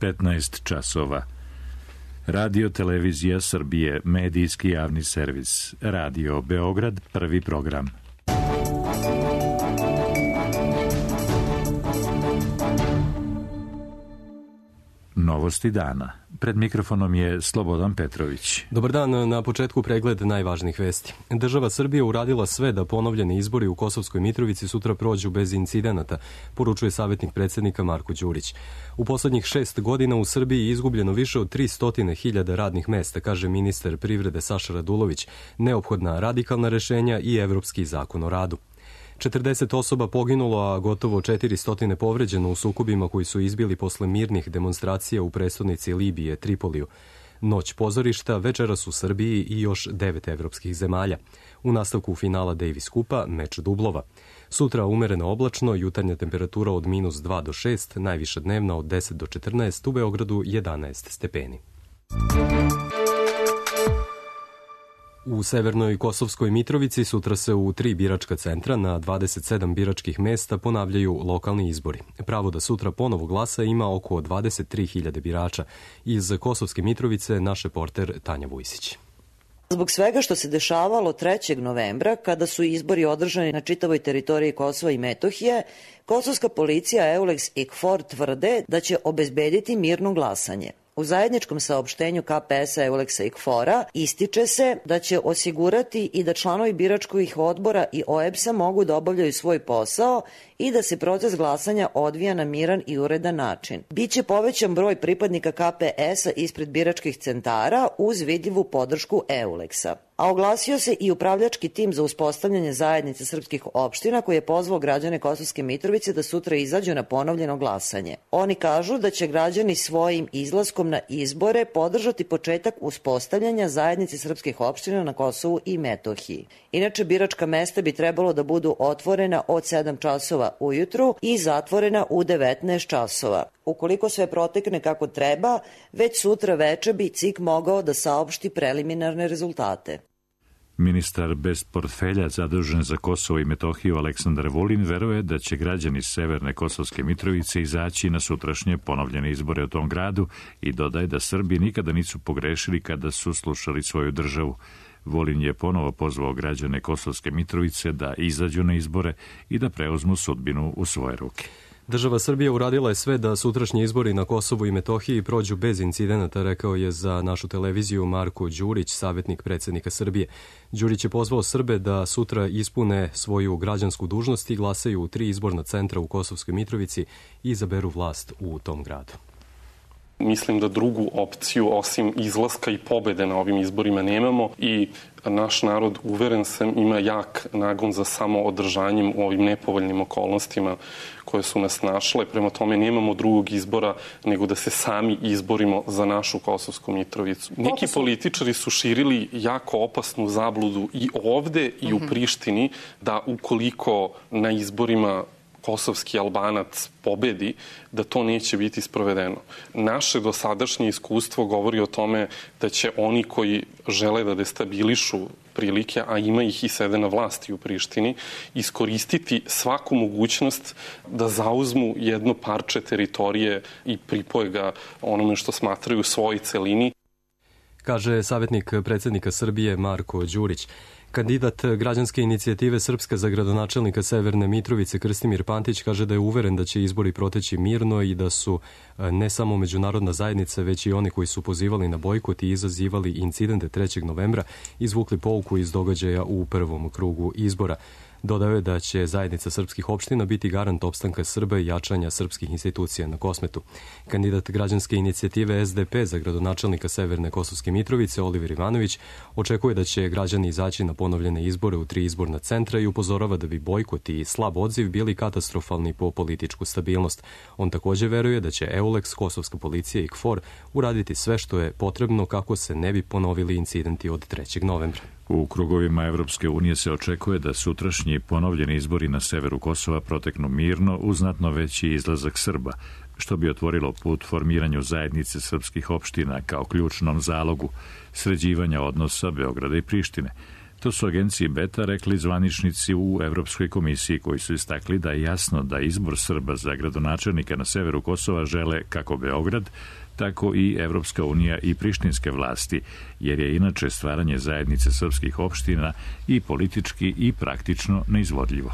15 časova. Radio Televizija Srbije, medijski javni servis. Radio Beograd, prvi program. Novosti dana. Pred mikrofonom je Slobodan Petrović. Dobar dan, na početku pregled najvažnijih vesti. Država Srbije uradila sve da ponovljeni izbori u Kosovskoj Mitrovici sutra prođu bez incidenata, poručuje savjetnik predsjednika Marko Đurić. U poslednjih 6 godina u Srbiji je izgubljeno više od 300.000 radnih mesta, kaže ministar privrede Saša Radulović, neophodna radikalna rešenja i Evropski zakon o radu. 40 osoba poginulo, a gotovo 400 povređeno u sukobima koji su izbili posle mirnih demonstracija u prestonici Libije, Tripoliju. Noć pozorišta, večeras u Srbiji i još 9 evropskih zemalja. U nastavku finala Davis Kupa, meč dublova. Sutra umereno oblačno, jutarnja temperatura od -2 do 6, najviša dnevna od 10 do 14, u Beogradu 11 stepeni. U severnoj Kosovskoj Mitrovici sutra se u 3 biračka centra na 27 biračkih mesta ponavljaju lokalni izbori. Pravo da sutra ponovo glasa ima oko 23.000 birača. Iz Kosovske Mitrovice naš reporter Tanja Vujsić. Zbog svega što se dešavalo 3. novembra, kada su izbori održani na čitavoj teritoriji Kosova i Metohije, kosovska policija EULEX i KFOR tvrde da će obezbediti mirno glasanje. U zajedničkom saopštenju KPS-a, EULEX-a i KFOR-a ističe se da će osigurati i da članovi biračkih odbora i OEBS-a mogu da obavljaju svoj posao i da se proces glasanja odvija na miran i uredan način. Biće povećan broj pripadnika KPS-a ispred biračkih centara uz vidljivu podršku EULEX-a. A oglasio se i upravljački tim za uspostavljanje zajednice srpskih opština koji je pozvao građane Kosovske Mitrovice da sutra izađu na ponovljeno glasanje. Oni kažu da će građani svojim izlaskom na izbore podržati početak uspostavljanja zajednice srpskih opština na Kosovu i Metohiji. Inače, biračka mesta bi trebalo da budu otvorena od 7 časova ujutru i zatvorena u 19 časova. Ukoliko sve protekne kako treba, već sutra veče bi CIK mogao da saopšti preliminarne rezultate. Ministar bez portfelja zadužen za Kosovo i Metohiju Aleksandar Vulin veruje da će građani severne Kosovske Mitrovice izaći na sutrašnje ponovljene izbore u tom gradu i dodaje da Srbi nikada nisu pogrešili kada su slušali svoju državu. Vulin je ponovo pozvao građane Kosovske Mitrovice da izađu na izbore i da preuzmu sudbinu u svoje ruke. Država Srbija uradila je sve da sutrašnji izbori na Kosovu i Metohiji prođu bez incidenata, rekao je za našu televiziju Marko Đurić, savjetnik predsjednika Srbije. Đurić je pozvao Srbe da sutra ispune svoju građansku dužnost i glasaju u 3 izborna centra u Kosovskoj Mitrovici i izaberu vlast u tom gradu. Mislim da drugu opciju osim izlaska i pobede na ovim izborima nemamo i naš narod, uveren sam, ima jak nagon za samoodržanjem u ovim nepovoljnim okolnostima koje su nas našle. Prema tome nemamo drugog izbora nego da se sami izborimo za našu Kosovsku Mitrovicu. Neki političari su širili jako opasnu zabludu i ovde i u Prištini da ukoliko na izborima kosovski Albanac pobedi, da to neće biti sprovedeno. Naše dosadašnje iskustvo govori o tome da će oni koji žele da destabilišu prilike, a ima ih i sede na vlasti u Prištini, iskoristiti svaku mogućnost da zauzmu jedno parče teritorije i pripoje ga onome što smatraju svojoj celini. Kaže savjetnik predsjednika Srbije Marko Đurić. Kandidat građanske inicijative Srpska za gradonačelnika Severne Mitrovice Krstimir Pantić kaže da je uveren da će izbori proteći mirno i da su ne samo međunarodna zajednica, već i oni koji su pozivali na bojkot i izazivali incidente 3. novembra izvukli pouku iz događaja u prvom krugu izbora. Dodao je da će zajednica srpskih opština biti garant opstanka Srba i jačanja srpskih institucija na Kosmetu. Kandidat građanske inicijative SDP za gradonačelnika Severne Kosovske Mitrovice Oliver Ivanović očekuje da će građani izaći na ponovljene izbore u 3 izborna centra i upozorava da bi bojkot i slab odziv bili katastrofalni po političku stabilnost. On također veruje da će EULEX, Kosovska policija i KFOR uraditi sve što je potrebno kako se ne bi ponovili incidenti od 3. novembra. U krugovima Evropske unije se očekuje da sutrašnji ponovljeni izbori na severu Kosova proteknu mirno uz znatno veći izlazak Srba, što bi otvorilo put formiranju zajednice srpskih opština kao ključnom zalogu sređivanja odnosa Beograda i Prištine. To su agenciji Beta rekli zvaničnici u Evropskoj komisiji koji su istakli da je jasno da izbor Srba za gradonačelnika na severu Kosova žele kako Beograd, tako i Evropska unija i prištinske vlasti, jer je inače stvaranje zajednice srpskih opština i politički i praktično neizvodljivo.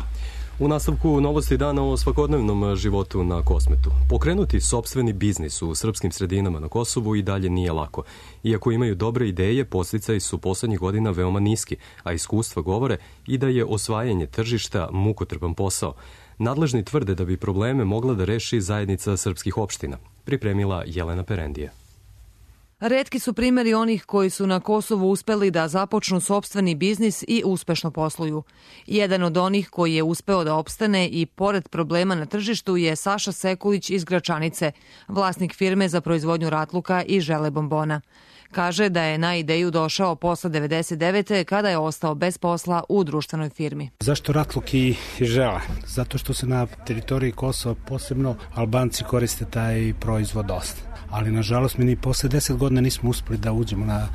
U nastavku novosti dana o svakodnevnom životu na Kosmetu. Pokrenuti sopstveni biznis u srpskim sredinama na Kosovu i dalje nije lako. Iako imaju dobre ideje, podsticaji su poslednjih godina veoma niski, a iskustva govore i da je osvajanje tržišta mukotrpan posao. Nadležni tvrde da bi probleme mogla da reši zajednica srpskih opština. Pripremila Jelena Perendija. Retki su primjeri onih koji su na Kosovu uspeli da započnu sopstveni biznis i uspešno posluju. Jedan od onih koji je uspeo da opstane i pored problema na tržištu je Saša Sekulić iz Gračanice, vlasnik firme za proizvodnju ratluka i žele bombona. Kaže da je na ideju došao posle 99. kada je ostao bez posla u društvenoj firmi. Zašto ratluk i žela? Zato što se na teritoriji Kosova posebno Albanci koriste taj proizvod dosta. Ali nažalost mi ni posle 10 godina nismo uspeli da uđemo na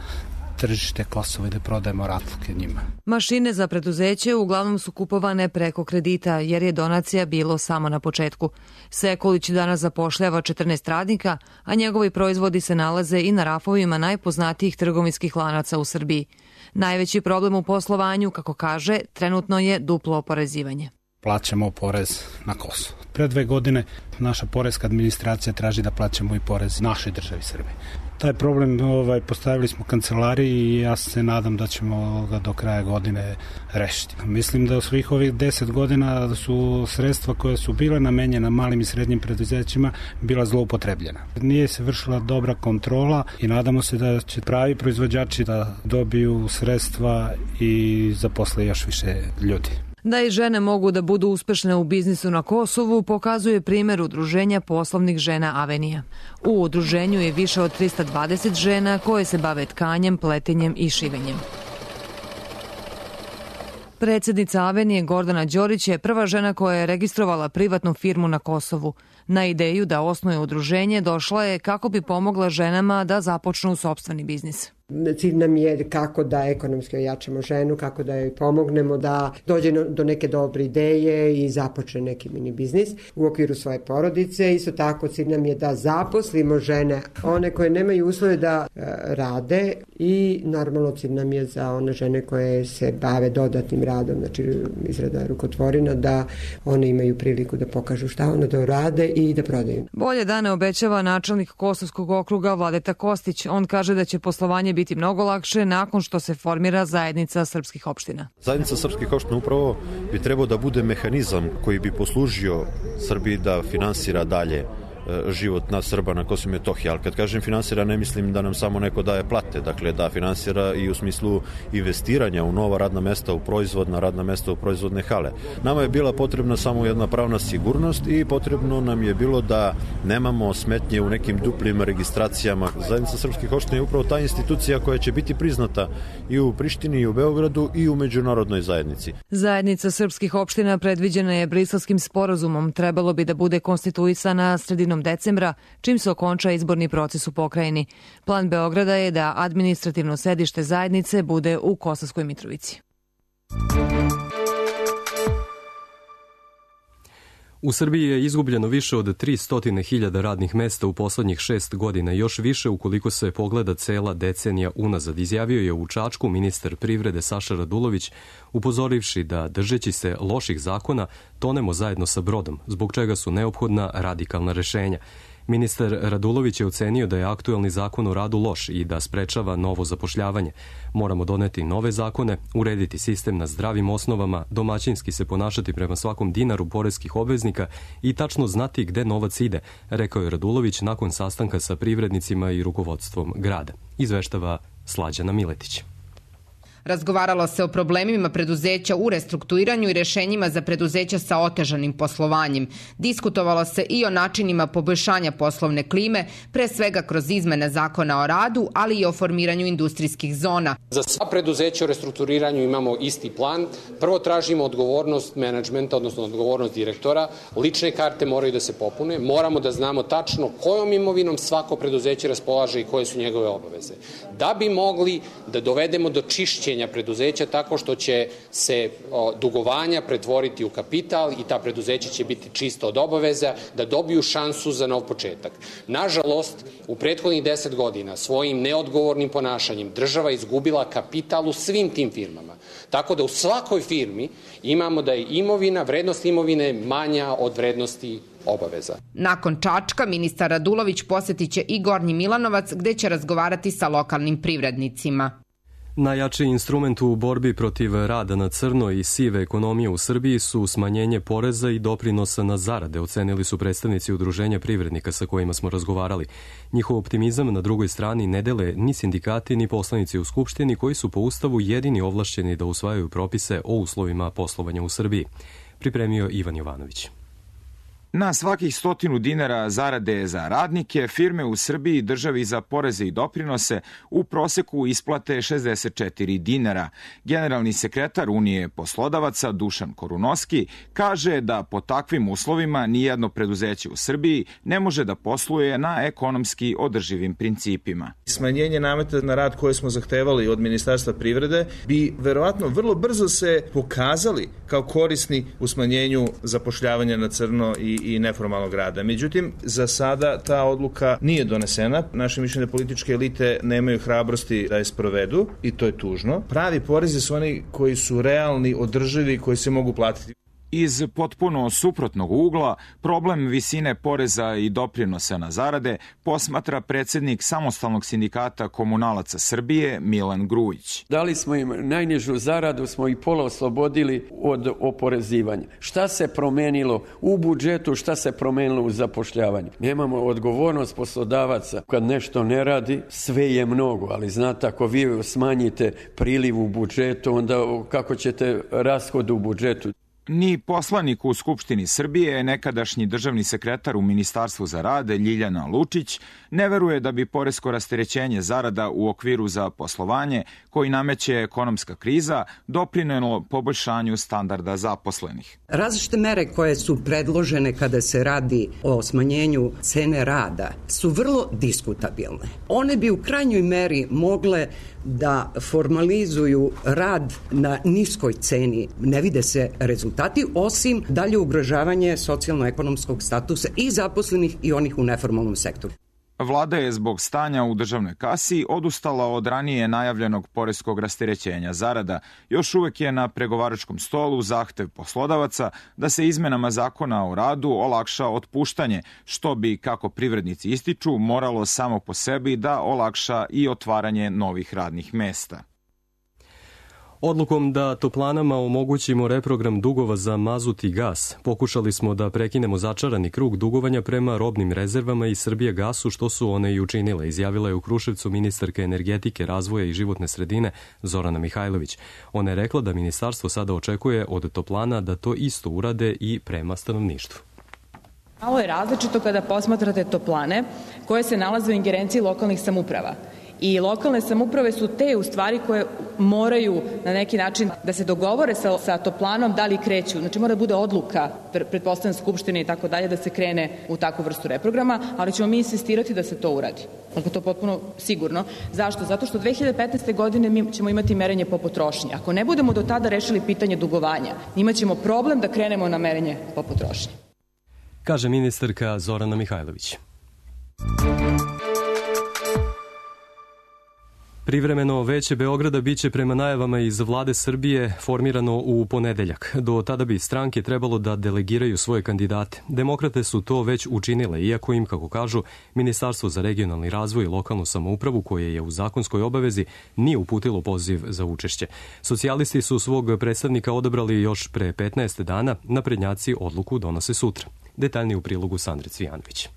tržište Kosova i da prodajemo ratluke njima. Mašine za preduzeće uglavnom su kupovane preko kredita jer je donacija bilo samo na početku. Sekulić danas zapošljava 14 radnika, a njegovi proizvodi se nalaze i na rafovima najpoznatijih trgovinskih lanaca u Srbiji. Najveći problem u poslovanju, kako kaže, trenutno je duplo oporezivanje. Plaćamo porez na Kosovo. Pre 2 godine naša poreska administracija traži da plaćamo i porez našoj državi Srbije. Taj problem postavili smo kancelariji i ja se nadam da ćemo ga do kraja godine rešiti. Mislim da u svih ovih 10 godina su sredstva koje su bile namenjena malim i srednjim preduzećima bila zloupotrebljena. Nije se vršila dobra kontrola i nadamo se da će pravi proizvođači da dobiju sredstva i zaposle još više ljudi. Da i žene mogu da budu uspešne u biznisu na Kosovu pokazuje primjer udruženja poslovnih žena Avenija. U udruženju je više od 320 žena koje se bave tkanjem, pletenjem i šivenjem. Predsjednica Avenije Gordana Đorić je prva žena koja je registrovala privatnu firmu na Kosovu. Na ideju da osnuje udruženje došla je kako bi pomogla ženama da započnu sopstveni biznis. Cilj nam je kako da ekonomski ojačamo ženu, kako da joj pomognemo da dođe do neke dobre ideje i započne neki mini biznis u okviru svoje porodice. Isto tako cilj nam je da zaposlimo žene, one koje nemaju uslove da rade i normalno cilj nam je za one žene koje se bave dodatnim radom, znači izrada rukotvorina, da one imaju priliku da pokažu šta one da rade i da prodaju. Bolje dane obećava načelnik Kosovskog okruga Vladeta Kostić. On kaže da će poslovanje biti mnogo lakše nakon što se formira zajednica srpskih opština. Zajednica srpskih opština upravo bi trebao da bude mehanizam koji bi poslužio Srbiji da finansira dalje život nas Srba na Kosovu i Metohiji, ali kad kažem finansira ne mislim da nam samo neko daje plate, dakle da finansira i u smislu investiranja u nova radna mesta, u proizvodna radna mesta, u proizvodne hale. Nama je bila potrebna samo jedna pravna sigurnost i potrebno nam je bilo da nemamo smetnje u nekim duplim registracijama. Zajednica srpskih opština je upravo ta institucija koja će biti priznata i u Prištini i u Beogradu i u međunarodnoj zajednici. Zajednica srpskih opština predviđena je Briselskim sporazumom. Trebalo bi da bude konstituisana sredinom decembra, čim se okonča izborni proces u pokrajini. Plan Beograda je da administrativno sedište zajednice bude u Kosovskoj Mitrovici. U Srbiji je izgubljeno više od 300.000 radnih mesta u poslednjih 6 godina, još više ukoliko se pogleda cela decenija unazad, izjavio je u Čačku ministar privrede Saša Radulović, upozorivši da, držeći se loših zakona, tonemo zajedno sa brodom, zbog čega su neophodna radikalna rešenja. Ministar Radulović je ocenio da je aktuelni zakon o radu loš i da sprečava novo zapošljavanje. Moramo doneti nove zakone, urediti sistem na zdravim osnovama, domaćinski se ponašati prema svakom dinaru poreskih obveznika i tačno znati gde novac ide, rekao je Radulović nakon sastanka sa privrednicima i rukovodstvom grada. Izveštava Slađana Miletić. Razgovaralo se o problemima preduzeća u restrukturiranju i rešenjima za preduzeća sa otežanim poslovanjem. Diskutovalo se i o načinima poboljšanja poslovne klime, pre svega kroz izmene zakona o radu, ali i o formiranju industrijskih zona. Za sva preduzeća u restrukturiranju imamo isti plan. Prvo tražimo odgovornost menadžmenta, odnosno odgovornost direktora. Lične karte moraju da se popune. Moramo da znamo tačno kojom imovinom svako preduzeće raspolaže i koje su njegove obaveze. Da bi mogli da dovedemo do čišćenja rasterećenja preduzeća tako što će se dugovanja pretvoriti u kapital i ta preduzeća će biti čisto od obaveza da dobiju šansu za nov početak. Nažalost, u prethodnih 10 godina svojim neodgovornim ponašanjem država izgubila kapital u svim tim firmama. Tako da u svakoj firmi imamo da je imovina, vrednost imovine manja od vrednosti obaveza. Nakon Čačka, ministar Radulović posjetit će i Gornji Milanovac, gde će razgovarati sa lokalnim privrednicima. Najjači instrument u borbi protiv rada na crno i sive ekonomije u Srbiji su smanjenje poreza i doprinosa na zarade, ocenili su predstavnici Udruženja privrednika sa kojima smo razgovarali. Njihov optimizam na drugoj strani ne dele ni sindikati ni poslanici u Skupštini, koji su po Ustavu jedini ovlašćeni da usvajaju propise o uslovima poslovanja u Srbiji. Pripremio Ivan Jovanović. Na svakih 100 dinara zarade za radnike, firme u Srbiji državi za poreze i doprinose u proseku isplate 64 dinara. Generalni sekretar Unije poslodavaca Dušan Korunoski kaže da po takvim uslovima nijedno preduzeće u Srbiji ne može da posluje na ekonomski održivim principima. Smanjenje nameta na rad koje smo zahtevali od Ministarstva privrede bi verovatno vrlo brzo se pokazali kao korisni u smanjenju zapošljavanja na crno i neformalnog rada. Međutim, za sada ta odluka nije donesena. Naše mišljenje političke elite nemaju hrabrosti da je sprovedu i to je tužno. Pravi porezi su oni koji su realni, održivi, koji se mogu platiti. Iz potpuno suprotnog ugla, problem visine poreza i doprinosa na zarade posmatra predsednik Samostalnog sindikata komunalaca Srbije Milan Grujić. Dali smo im najnižu zaradu, smo i pola oslobodili od oporezivanja. Šta se promenilo u budžetu, šta se promenilo u zapošljavanju? Nemamo odgovornost poslodavaca. Kad nešto ne radi, sve je mnogo, ali znate, ako vi smanjite priliv u budžetu, onda kako ćete rashod u budžetu? Ni poslanik u Skupštini Srbije, nekadašnji državni sekretar u Ministarstvu za rad Ljiljana Lučić, ne veruje da bi poresko rasterećenje zarada u okviru za poslovanje, koji nameće ekonomska kriza, doprinelo poboljšanju standarda zaposlenih. Različite mere koje su predložene kada se radi o smanjenju cene rada su vrlo diskutabilne. One bi u krajnjoj meri mogle da formalizuju rad na niskoj ceni. Ne vide se rezultati, osim dalje ugrožavanje socijalno-ekonomskog statusa i zaposlenih i onih u neformalnom sektoru. Vlada je zbog stanja u državnoj kasi odustala od ranije najavljenog poreskog rasterećenja zarada. Još uvek je na pregovaračkom stolu zahtev poslodavaca da se izmenama zakona o radu olakša otpuštanje, što bi, kako privrednici ističu, moralo samo po sebi da olakša i otvaranje novih radnih mesta. Odlukom da toplanama omogućimo reprogram dugova za mazut i gas, pokušali smo da prekinemo začarani krug dugovanja prema robnim rezervama i Srbijagasu, što su one i učinile, izjavila je u Kruševcu ministarka energetike, razvoja i životne sredine Zorana Mihajlović. Ona je rekla da ministarstvo sada očekuje od toplana da to isto urade i prema stanovništvu. Malo je različito kada posmatrate toplane koje se nalaze u ingerenciji lokalnih samouprava. I lokalne samouprave su te u stvari koje moraju na neki način da se dogovore sa toplanom da li kreću. Znači mora da bude odluka, pretpostavljam Skupštine i tako dalje, da se krene u takvu vrstu reprograma, ali ćemo mi insistirati da se to uradi. Dakle, to je potpuno sigurno. Zašto? Zato što 2015. godine mi ćemo imati merenje po potrošnji. Ako ne budemo do tada rešili pitanje dugovanja, imaćemo problem da krenemo na merenje po potrošnji. Kaže ministarka Zorana Mihajlović. Privremeno veće Beograda biće prema najavama iz vlade Srbije formirano u ponedeljak. Do tada bi stranke trebalo da delegiraju svoje kandidate. Demokrate su to već učinile, iako im, kako kažu, Ministarstvo za regionalni razvoj i lokalnu samoupravu, koje je u zakonskoj obavezi, nije uputilo poziv za učešće. Socijalisti su svog predstavnika odabrali još pre 15 dana, naprednjaci odluku donose sutra. Detaljnije u prilogu Sandre Cvijanović.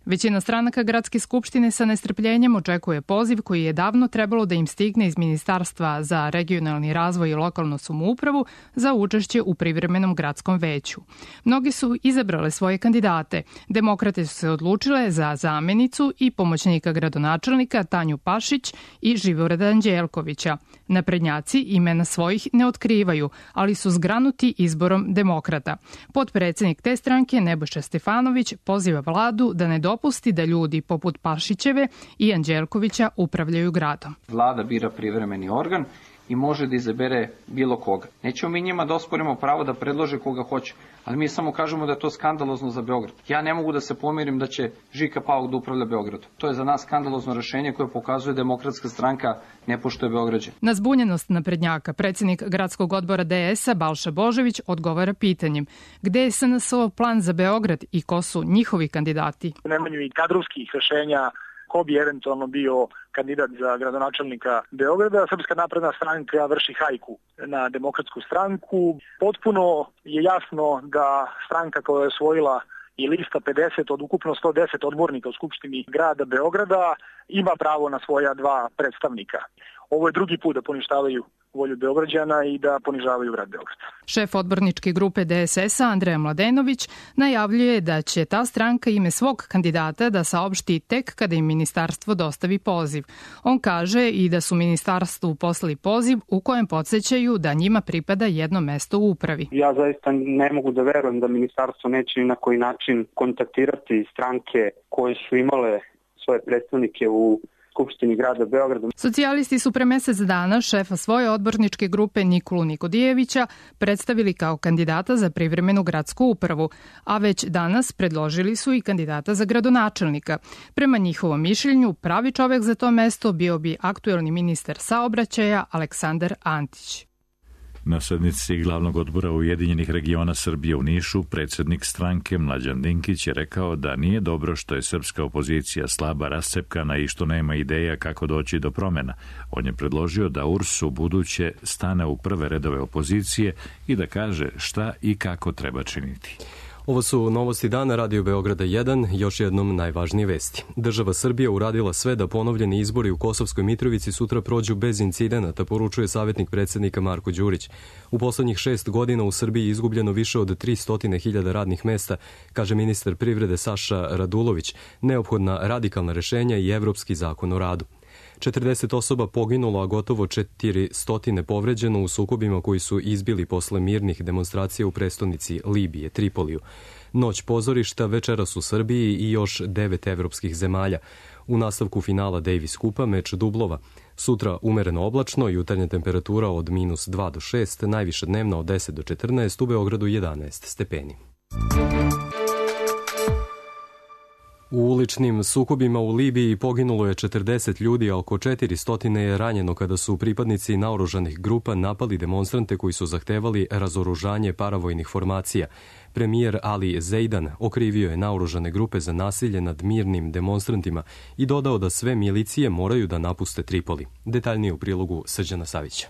Većina stranaka Gradske skupštine sa nestrpljenjem očekuje poziv koji je davno trebalo da im stigne iz Ministarstva za regionalni razvoj i lokalnu samoupravu za učešće u privremenom gradskom veću. Mnogi su izabrale svoje kandidate. Demokrate su se odlučile za zamenicu i pomoćnika gradonačelnika Tanju Pašić i Živorada Anđelkovića. Naprednjaci imena svojih ne otkrivaju, ali su zgranuti izborom demokrata. Potpredsednik te stranke Nebojša Stefanović poziva vladu da ne dopusti da ljudi poput Pašićeve i Anđelkovića upravljaju gradom. Vlada bira privremeni organ i može da izabere bilo koga. Nećemo mi njima da osporimo pravo da predlože koga hoće, ali mi samo kažemo da je to skandalozno za Beograd. Ja ne mogu da se pomirim da će Žika Pauk da upravlja Beogradom. To je za nas skandalozno rešenje koje pokazuje Demokratska stranka ne poštuje Beograđane. Na zbunjenost naprednjaka predsjednik gradskog odbora DS-a Balša Božović odgovara pitanjem gde je SNS-ov plan za Beograd i ko su njihovi kandidati. U nemanju i kadrovskih rešenja ko bi eventualno bio kandidat za gradonačelnika Beograda. Srpska napredna stranka vrši hajku na Demokratsku stranku. Potpuno je jasno da stranka koja je osvojila i lista 50 od ukupno 110 odbornika u Skupštini grada Beograda ima pravo na svoja 2 predstavnika. Ovo je drugi put da poništavaju volju Beograđana i da ponižavaju grad Beograd. Šef odborničke grupe DSS-a Andreja Mladenović najavljuje da će ta stranka ime svog kandidata da saopšti tek kada im ministarstvo dostavi poziv. On kaže i da su ministarstvu poslali poziv u kojem podsećaju da njima pripada jedno mesto u upravi. Ja zaista ne mogu da verujem da ministarstvo neće ni na koji način kontaktirati stranke koje su imale svoje predstavnike u Skupštini grada Beograda. Socijalisti su pre mesec dana šefa svoje odborničke grupe Nikolu Nikodijevića predstavili kao kandidata za privremenu gradsku upravu, a već danas predložili su i kandidata za gradonačelnika. Prema njihovom mišljenju, pravi čovek za to mesto bio bi aktuelni ministar saobraćaja Aleksandar Antić. Na sednici glavnog odbora Ujedinjenih regiona Srbije u Nišu, predsjednik stranke Mlađan Dinkić je rekao da nije dobro što je srpska opozicija slaba, rascepkana i što nema ideja kako doći do promjena. On je predložio da URS u buduće stane u prve redove opozicije i da kaže šta i kako treba činiti. Ovo su novosti dana Radio Beograda 1, još jednom najvažnije vesti. Država Srbija uradila sve da ponovljeni izbori u Kosovskoj Mitrovici sutra prođu bez incidenata, poručuje savjetnik predsjednika Marko Đurić. U poslednjih 6 godina u Srbiji je izgubljeno više od 300.000 radnih mesta, kaže ministar privrede Saša Radulović, neophodna radikalna rešenja i evropski zakon o radu. 40 osoba poginulo, a gotovo 400 povređeno u sukobima koji su izbili posle mirnih demonstracija u prestonici Libije, Tripoliju. Noć pozorišta večeras u Srbiji i još 9 evropskih zemalja. U nastavku finala Davis Kupa meč dublova. Sutra umereno oblačno, jutarnja temperatura od -2 do 6, najviša dnevna od 10 do 14, u Beogradu 11 stepeni. U uličnim sukobima u Libiji poginulo je 40 ljudi, a oko 400 je ranjeno kada su pripadnici naoružanih grupa napali demonstrante koji su zahtevali razoružanje paravojnih formacija. Premijer Ali Zeidan okrivio je naoružane grupe za nasilje nad mirnim demonstrantima i dodao da sve milicije moraju da napuste Tripoli. Detaljnije u prilogu Srđana Savića.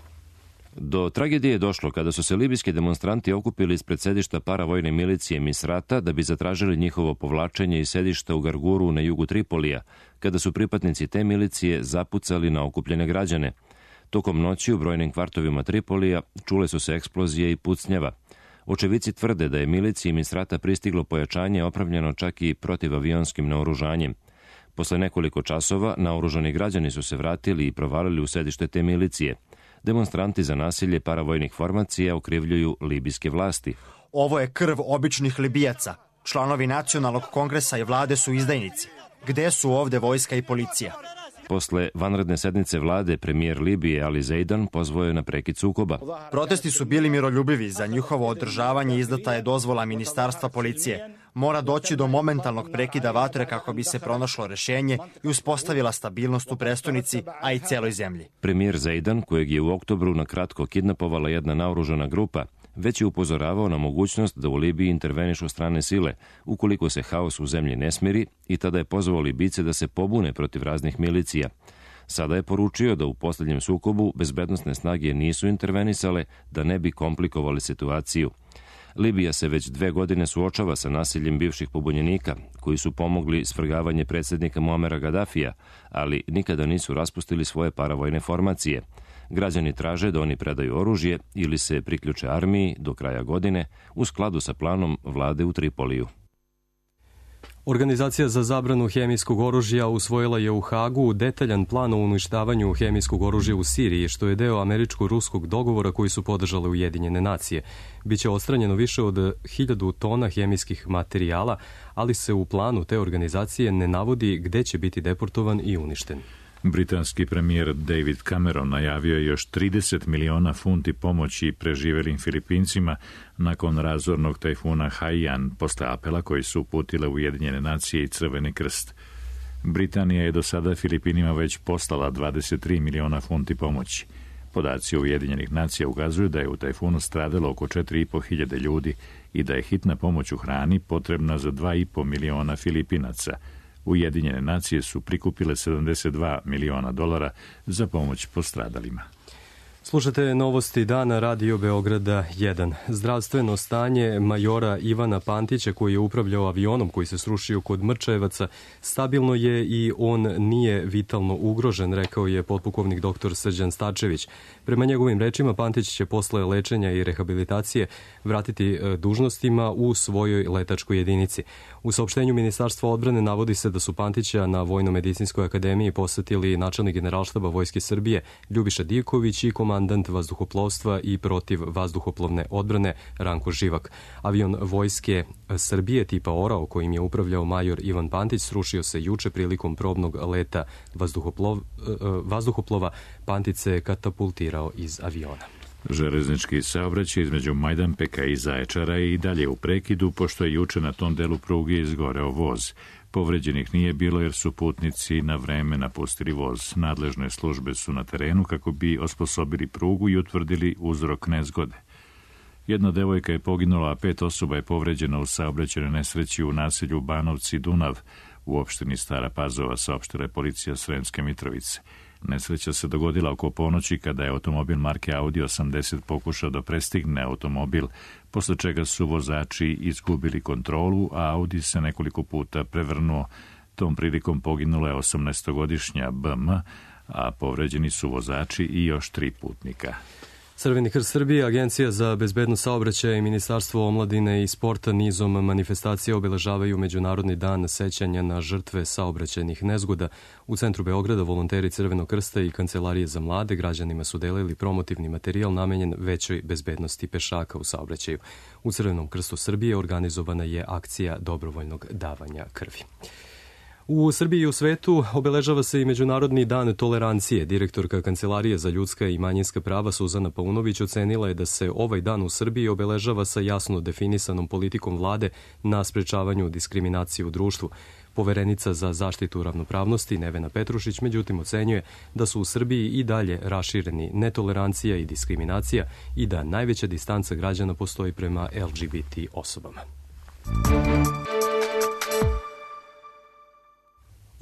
Do tragedije je došlo kada su se libijski demonstranti okupili ispred sedišta paravojne milicije Misrata da bi zatražili njihovo povlačenje iz sedišta u Garguru na jugu Tripolija, kada su pripadnici te milicije zapucali na okupljene građane. Tokom noći u brojnim kvartovima Tripolija čule su se eksplozije i pucnjava. Očevici tvrde da je miliciji Misrata pristiglo pojačanje opravljeno čak i protivavionskim naoružanjem. Posle nekoliko časova naoružani građani su se vratili i provalili u sedište te milicije. Demonstranti za nasilje paravojnih formacija okrivljuju libijske vlasti. Ovo je krv običnih Libijaca. Članovi nacionalnog kongresa i vlade su izdajnici. Gde su ovde vojska i policija? Posle vanredne sednice vlade, premijer Libije Ali Zeidan pozvao je na prekid sukoba. Protesti su bili miroljubivi, za njihovo održavanje izdata je dozvola Ministarstva policije. Mora doći do momentalnog prekida vatre kako bi se pronašlo rešenje i uspostavila stabilnost u prestonici, a i celoj zemlji. Premijer Zeidan, kojeg je u oktobru na kratko kidnapovala jedna naoružana grupa, već je upozoravao na mogućnost da u Libiji intervenišu strane sile, ukoliko se haos u zemlji ne smiri, i tada je pozvao Libice da se pobune protiv raznih milicija. Sada je poručio da u posljednjem sukobu bezbednosne snage nisu intervenisale da ne bi komplikovali situaciju. Libija se već 2 godine suočava sa nasiljem bivših pobunjenika, koji su pomogli svrgavanje predsjednika Muamera Gaddafija, ali nikada nisu raspustili svoje paravojne formacije. Građani traže da oni predaju oružje ili se priključe armiji do kraja godine u skladu sa planom vlade u Tripoliju. Organizacija za zabranu hemijskog oružja usvojila je u Hagu detaljan plan o uništavanju hemijskog oružja u Siriji, što je deo američko-ruskog dogovora koji su podržale Ujedinjene nacije. Biće odstranjeno više od 1000 tona hemijskih materijala, ali se u planu te organizacije ne navodi gde će biti deportovan i uništen. Britanski premijer David Cameron najavio je još 30 miliona funti pomoći preživelim Filipincima nakon razornog tajfuna Haiyan posle apela koji su uputile Ujedinjene nacije i Crveni krst. Britanija je do sada Filipinima već poslala 23 miliona funti pomoći. Podaci Ujedinjenih nacija ukazuju da je u tajfunu stradalo oko 4.500 ljudi i da je hitna pomoć u hrani potrebna za 2,5 miliona Filipinaca. Ujedinjene nacije su prikupile $72 miliona za pomoć postradalima. Slušate novosti dana Radio Beograda 1. Zdravstveno stanje majora Ivana Pantića, koji je upravljao avionom koji se srušio kod Mrčajevaca, stabilno je i on nije vitalno ugrožen, rekao je potpukovnik dr. Srđan Stačević. Prema njegovim rečima, Pantić će posle lečenja i rehabilitacije vratiti dužnostima u svojoj letačkoj jedinici. U saopštenju Ministarstva odbrane navodi se da su Pantića na Vojno-medicinskoj akademiji posetili načelnik Generalštaba Vojske Srbije Ljubiša Divković i komandant vazduhoplovstva i protiv vazduhoplovne odbrane Ranko Živak. Avion Vojske Srbije tipa Orao, kojim je upravljao major Ivan Pantić, srušio se juče prilikom probnog leta vazduhoplova. Pantić se katapultirao iz aviona. Železnički saobraćaj između Majdanpeka i Zaječara je i dalje u prekidu, pošto je juče na tom delu pruge izgoreo voz. Povređenih nije bilo jer su putnici na vreme napustili voz. Nadležne službe su na terenu kako bi osposobili prugu i utvrdili uzrok nezgode. Jedna devojka je poginula, a 5 osoba je povređeno u saobraćajnoj nesreći u naselju Banovci Dunav u opštini Stara Pazova, saopštila je policija Sremske Mitrovice. Nesreća se dogodila oko ponoći kada je automobil marke Audi 80 pokušao da prestigne automobil, posle čega su vozači izgubili kontrolu, a Audi se nekoliko puta prevrnuo. Tom prilikom poginula je 18-godišnja BM, a povređeni su vozači i još 3 putnika. Crveni krst Srbije, Agencija za bezbednost saobraćaja i Ministarstvo omladine i sporta nizom manifestacija obeležavaju Međunarodni dan sećanja na žrtve saobraćajnih nezgoda. U centru Beograda volonteri Crvenog krsta i Kancelarije za mlade građanima su delili promotivni materijal namenjen većoj bezbednosti pešaka u saobraćaju. U Crvenom krstu Srbije organizovana je akcija dobrovoljnog davanja krvi. U Srbiji i u svetu obeležava se i Međunarodni dan tolerancije. Direktorka Kancelarije za ljudska i manjinska prava Suzana Paunović ocenila je da se ovaj dan u Srbiji obeležava sa jasno definisanom politikom vlade na sprečavanju diskriminacije u društvu. Poverenica za zaštitu ravnopravnosti Nevena Petrušić međutim ocenjuje da su u Srbiji i dalje rašireni netolerancija i diskriminacija i da najveća distanca građana postoji prema LGBT osobama.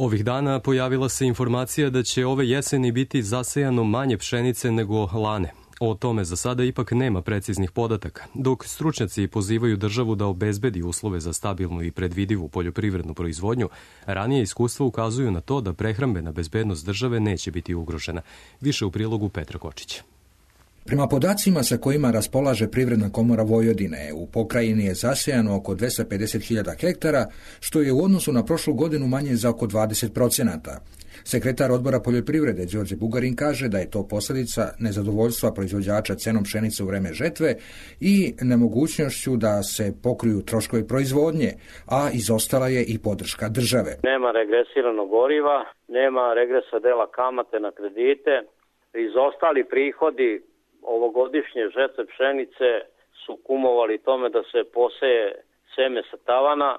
Ovih dana pojavila se informacija da će ove jeseni biti zasejano manje pšenice nego lane. O tome za sada ipak nema preciznih podataka, dok stručnjaci pozivaju državu da obezbedi uslove za stabilnu i predvidivu poljoprivrednu proizvodnju, ranije iskustva ukazuju na to da prehrambena bezbednost države neće biti ugrožena. Više u prilogu Petra Kočića. Prema podacima sa kojima raspolaže Privredna komora Vojvodine, u pokrajini je zasejano oko 250.000 hektara, što je u odnosu na prošlu godinu manje za oko 20%. Sekretar odbora poljoprivrede Đorđe Bugarin kaže da je to posljedica nezadovoljstva proizvođača cenom pšenice u vreme žetve i nemogućnošću da se pokriju troškovi proizvodnje, a izostala je i podrška države. Nema regresiranog goriva, nema regresa dela kamate na kredite, izostali prihodi ovogodišnje žetve pšenice su kumovali tome da se poseje seme sa tavana,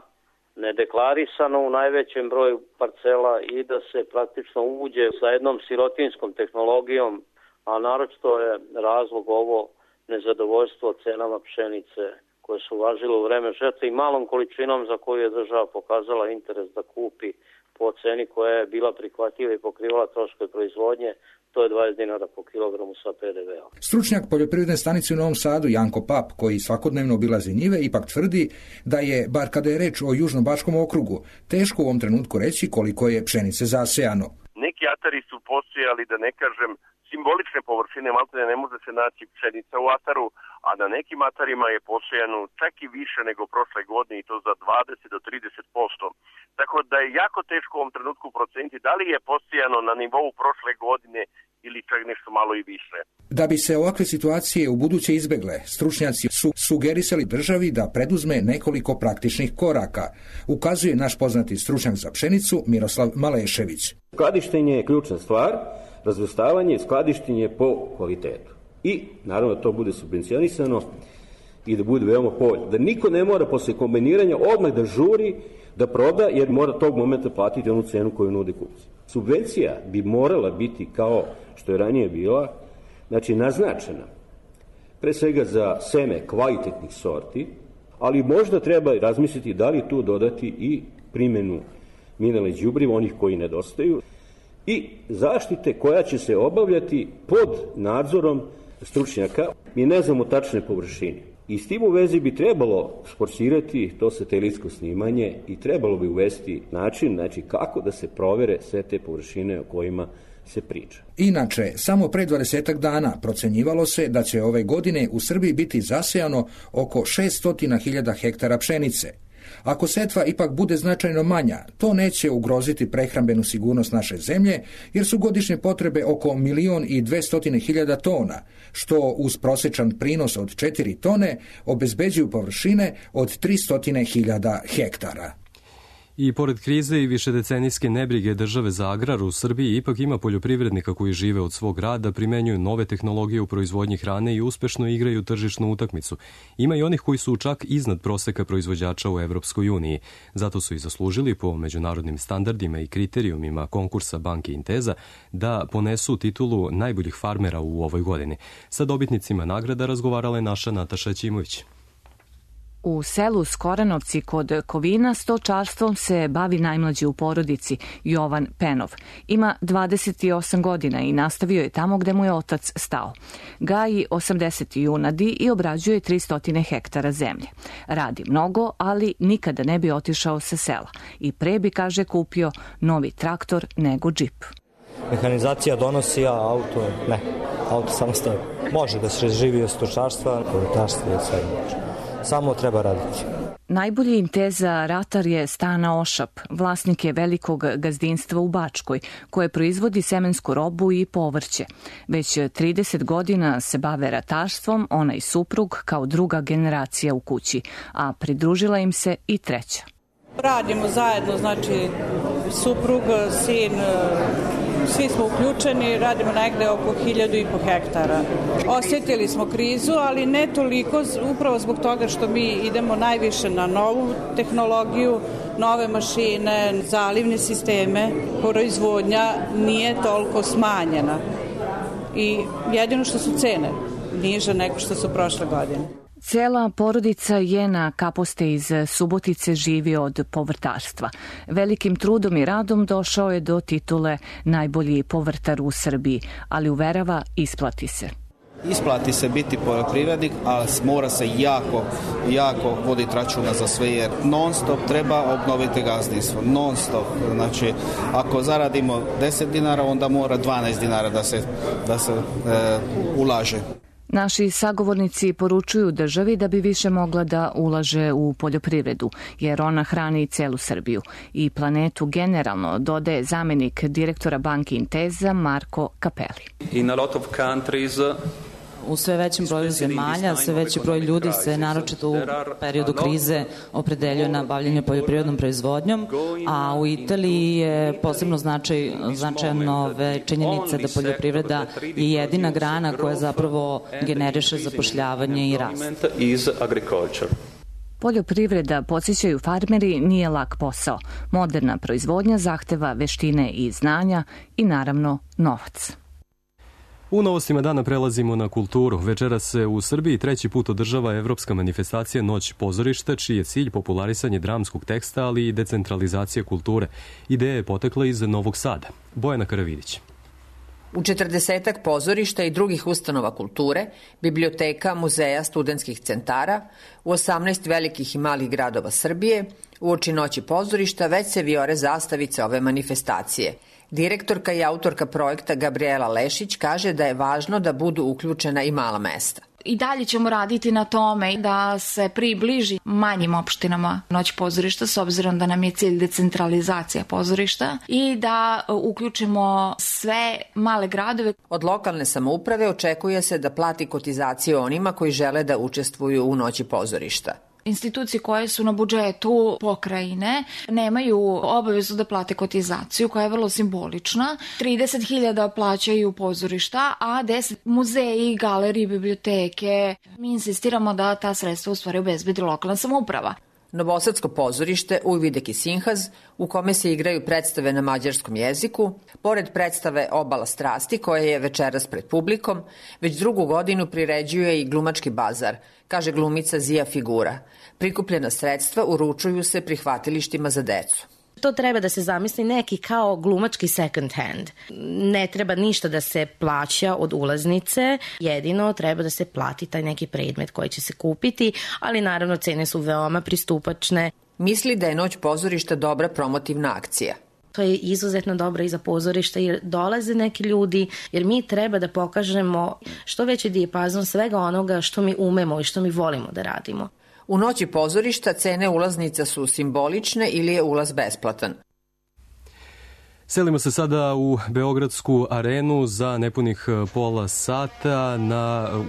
nedeklarisano u najvećem broju parcela i da se praktično uđe sa jednom sirotinskom tehnologijom, a naročito je razlog ovo nezadovoljstvo cenama pšenice koje su važile u vreme žetve i malom količinom za koju je država pokazala interes da kupi po ceni koja je bila prihvatljiva i pokrivala troškove proizvodnje. To je 20 dinara po kilogramu sa PDV-om. Stručnjak poljoprivredne stanice u Novom Sadu Janko Pap, koji svakodnevno obilazi njive, ipak tvrdi da je, bar kada je reč o Južnobačkom okrugu, teško u ovom trenutku reći koliko je pšenice zasejano. Neki atari su posejali, da ne kažem, simbolične površine, maltene ne može se naći pšenica u ataru, a na nekim atarima je posejano čak i više nego prošle godine i to za 20 do 30%. Tako da je jako teško u ovom trenutku proceniti da li je posejano na nivou prošle godine ili čak nešto malo i više. Da bi se ovakve situacije u buduće izbegle, stručnjaci su sugerisali državi da preduzme nekoliko praktičnih koraka, ukazuje naš poznati stručnjak za pšenicu Miroslav Malešević. Skladištenje je ključna stvar, razvrstavanje, skladištenje po kvalitetu. I naravno da to bude subvencionisano i da bude veoma povoljno. Da niko ne mora posle kombiniranja odmah da žuri da proda, jer mora tog momenta platiti onu cenu koju nude kupci. Subvencija bi morala biti kao što je ranije bila, znači naznačena, pre svega za seme kvalitetnih sorti, ali možda treba razmisliti da li tu dodati i primjenu mineralnih đubriva, onih koji nedostaju, i zaštite koja će se obavljati pod nadzorom stručnjaka. Mi ne znamo tačne površine. I s tim u vezi bi trebalo forsirati to satelitsko snimanje i trebalo bi uvesti način, znači kako da se provere sve te površine o kojima se priča. Inače, samo pre 20 dana procenjivalo se da će ove godine u Srbiji biti zasejano oko 600.000 hektara pšenice. Ako setva ipak bude značajno manja, to neće ugroziti prehrambenu sigurnost naše zemlje, jer su godišnje potrebe oko 1.200.000 tona, što uz prosječan prinos od 4 tone obezbeđuju površine od 300.000 hektara. I pored krize i višedecenijske nebrige države za agrar u Srbiji, ipak ima poljoprivrednika koji žive od svog rada, primenjuju nove tehnologije u proizvodnji hrane i uspešno igraju tržišnu utakmicu. Ima i onih koji su čak iznad proseka proizvođača u Evropskoj uniji. Zato su i zaslužili po međunarodnim standardima i kriterijumima konkursa Banke Inteza da ponesu titulu najboljih farmera u ovoj godini. Sa dobitnicima nagrada razgovarala je naša Nataša Ćimović. U selu Skoranovci kod Kovina stočarstvom se bavi najmlađi u porodici, Jovan Penov. Ima 28 godina i nastavio je tamo gde mu je otac stao. Gaji 80 junadi i obrađuje 300 hektara zemlje. Radi mnogo, ali nikada ne bi otišao sa sela. I pre bi, kaže, kupio novi traktor nego džip. Mehanizacija donosi, a auto ne. Auto samo stoji. Može da se živi od stočarstva, povrtarstva i sve može. Samo treba raditi. Najbolji Inteza ratar je Stana Ošap, vlasnik je velikog gazdinstva u Bačkoj, koje proizvodi semensku robu i povrće. Već 30 godina se bave ratarstvom, ona i suprug kao druga generacija u kući, a pridružila im se i treća. Radimo zajedno, znači suprug, sin, svi smo uključeni, radimo negde oko 1.500 hektara. Osjetili smo krizu, ali ne toliko, upravo zbog toga što mi idemo najviše na novu tehnologiju, nove mašine, zalivne sisteme, proizvodnja nije toliko smanjena. I jedino što su cene niže nego što su prošle godine. Cela porodica Jena Kaposte iz Subotice živi od povrtarstva. Velikim trudom i radom došao je do titule najbolji povrtar u Srbiji, ali uverava isplati se. Isplati se biti poljoprivrednik, ali mora se jako voditi računa za sve, jer non stop treba obnoviti gazdinstvo, non stop. Znači, ako zaradimo 10 dinara, onda mora 12 dinara da se ulaže. Naši sagovornici poručuju državi da bi više mogla da ulaže u poljoprivredu, jer ona hrani celu Srbiju i planetu generalno, dodaje zamjenik direktora Banke Inteza Marko Kapeli. U sve većem broju zemalja, sve veći broj ljudi se naročito u periodu krize opredeljuje na bavljanje poljoprivrednom proizvodnjom, a u Italiji je posebno značajno činjenica da poljoprivreda je jedina grana koja zapravo generiše zapošljavanje i rast. Poljoprivreda, podsjećaju farmeri, nije lak posao. Moderna proizvodnja zahteva veštine i znanja i naravno novac. U novostima dana prelazimo na kulturu. Večeras se u Srbiji treći put održava evropska manifestacija Noć pozorišta, čiji je cilj popularisanje dramskog teksta, ali i decentralizacija kulture. Ideja je potekla iz Novog Sada. Bojana Karavidić. U 40 pozorišta i drugih ustanova kulture, biblioteka, muzeja, studentskih centara, u 18 velikih i malih gradova Srbije, uoči Noći pozorišta već se vijore zastavice ove manifestacije. Direktorka i autorka projekta Gabriela Lešić kaže da je važno da budu uključena i mala mesta. I dalje ćemo raditi na tome da se približi manjim opštinama Noć pozorišta, s obzirom da nam je cilj decentralizacija pozorišta i da uključimo sve male gradove. Od lokalne samouprave očekuje se da plati kotizaciju onima koji žele da učestvuju u Noći pozorišta. Institucije koje su na budžetu pokrajine nemaju obavezu da plate kotizaciju, koja je vrlo simbolična. 30.000 plaćaju pozorišta, a 10 muzeji, galerije, biblioteke. Mi insistiramo da ta sredstva u stvari obezbedi lokalna samouprava. Novosadsko pozorište Ujvidek i Sinhaz, u kome se igraju predstave na mađarskom jeziku, pored predstave Obala strasti, koja je večeras pred publikom, već drugu godinu priređuje i glumački bazar, kaže glumica Zija Figura. Prikupljena sredstva uručuju se prihvatilištima za decu. To treba da se zamisli neki kao glumački second hand. Ne treba ništa da se plaća od ulaznice, jedino treba da se plati taj neki predmet koji će se kupiti, ali naravno cene su veoma pristupačne. Misli da je Noć pozorišta dobra promotivna akcija. To je izuzetno dobro i za pozorište jer dolaze neki ljudi, jer mi treba da pokažemo što veći dijapazon svega onoga što mi umemo i što mi volimo da radimo. U Noći pozorišta cene ulaznica su simbolične ili je ulaz besplatan. Selimo se sada u Beogradsku arenu za nepunih pola sata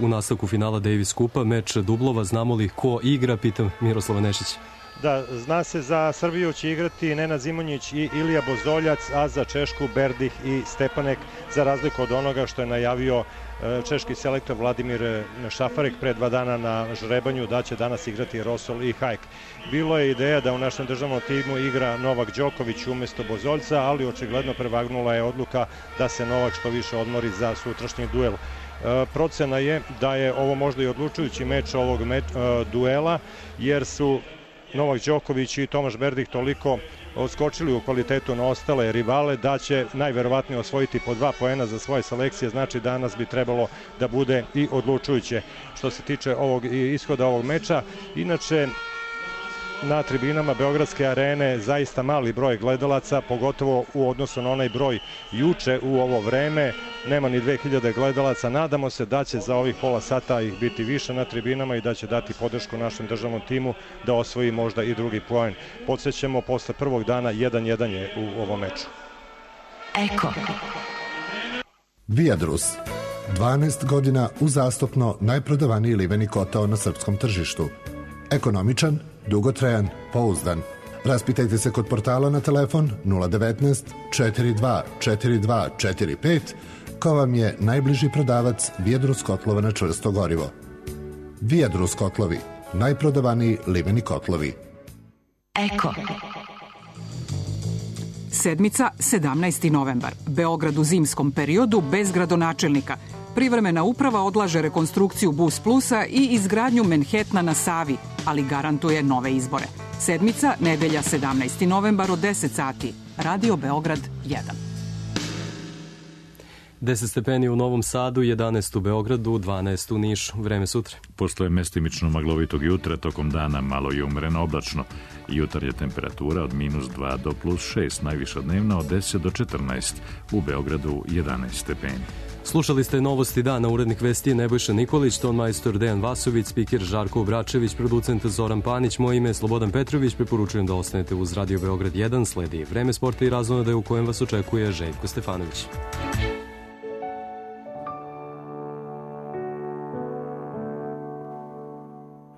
u nastavku finala Davis Kupa, meč dublova. Znamo li ko igra, pitam Miroslava Nešića. Da, zna se, za Srbiju će igrati Nenad Zimonjić i Ilija Bozoljac, a za Češku Berdih i Stepanek, za razliku od onoga što je najavio češki selektor Vladimir Šafarek pre 2 dana na žrebanju, da će danas igrati Rosol i Hajk. Bilo je ideja da u našem državnom timu igra Novak Đoković umesto Bozoljca, ali očigledno prevagnula je odluka da se Novak što više odmori za sutrašnji duel. Procena je da je ovo možda i odlučujući meč ovog duela, jer su Novak Đoković i Tomaš Berdih toliko odskočili u kvalitetu na ostale rivale da će najverovatnije osvojiti po 2 poena za svoje selekcije, znači danas bi trebalo da bude i odlučujuće što se tiče ishoda ovog meča. Inače, na tribinama Beogradske arene zaista mali broj gledalaca, pogotovo u odnosu na onaj broj juče u ovo vreme. Nema ni 2000 gledalaca. Nadamo se da će za ovih pola sata ih biti više na tribinama i da će dati podršku našem državnom timu da osvoji možda i drugi poen. Podsjećamo, posle prvog dana 1-1 je u ovom meču. Eko. Viadrus. 12 godina uzastopno najprodavaniji liveni kotao na srpskom tržištu. Ekonomičan, dugotrajan, pouzdan. Raspitajte se kod portala na telefon 019 42 42 45 ko vam je najbliži prodavac Viadrus kotlova na čvrsto gorivo. Viadrus kotlovi, najprodavaniji liveni kotlovi. Eko. Sedmica, 17. novembar. Beograd u zimskom periodu bez gradonačelnika. Privremena uprava odlaže rekonstrukciju Bus Plusa i izgradnju Manhattana na Savi, ali garantuje nove izbore. Sedmica, nedelja 17. novembar od 10 sati. Radio Beograd 1. 10 stepeni u Novom Sadu, 11 u Beogradu, 12 u Nišu. Vreme sutra. Posle mestimično maglovitog jutra, tokom dana malo i umreno oblačno. Jutarnja temperatura od -2 do +6, najviša dnevna od 10 do 14. U Beogradu 11 stepeni. Slušali ste Novosti dana, urednik vesti je Nebojša Nikolić, ton majstor Dejan Vasović, spiker Žarko Obračević, producent Zoran Panić, moje ime je Slobodan Petrović, preporučujem da ostanete uz Radio Beograd 1, sledi Vreme sporta i razonode u kojem vas očekuje Željko Stefanović.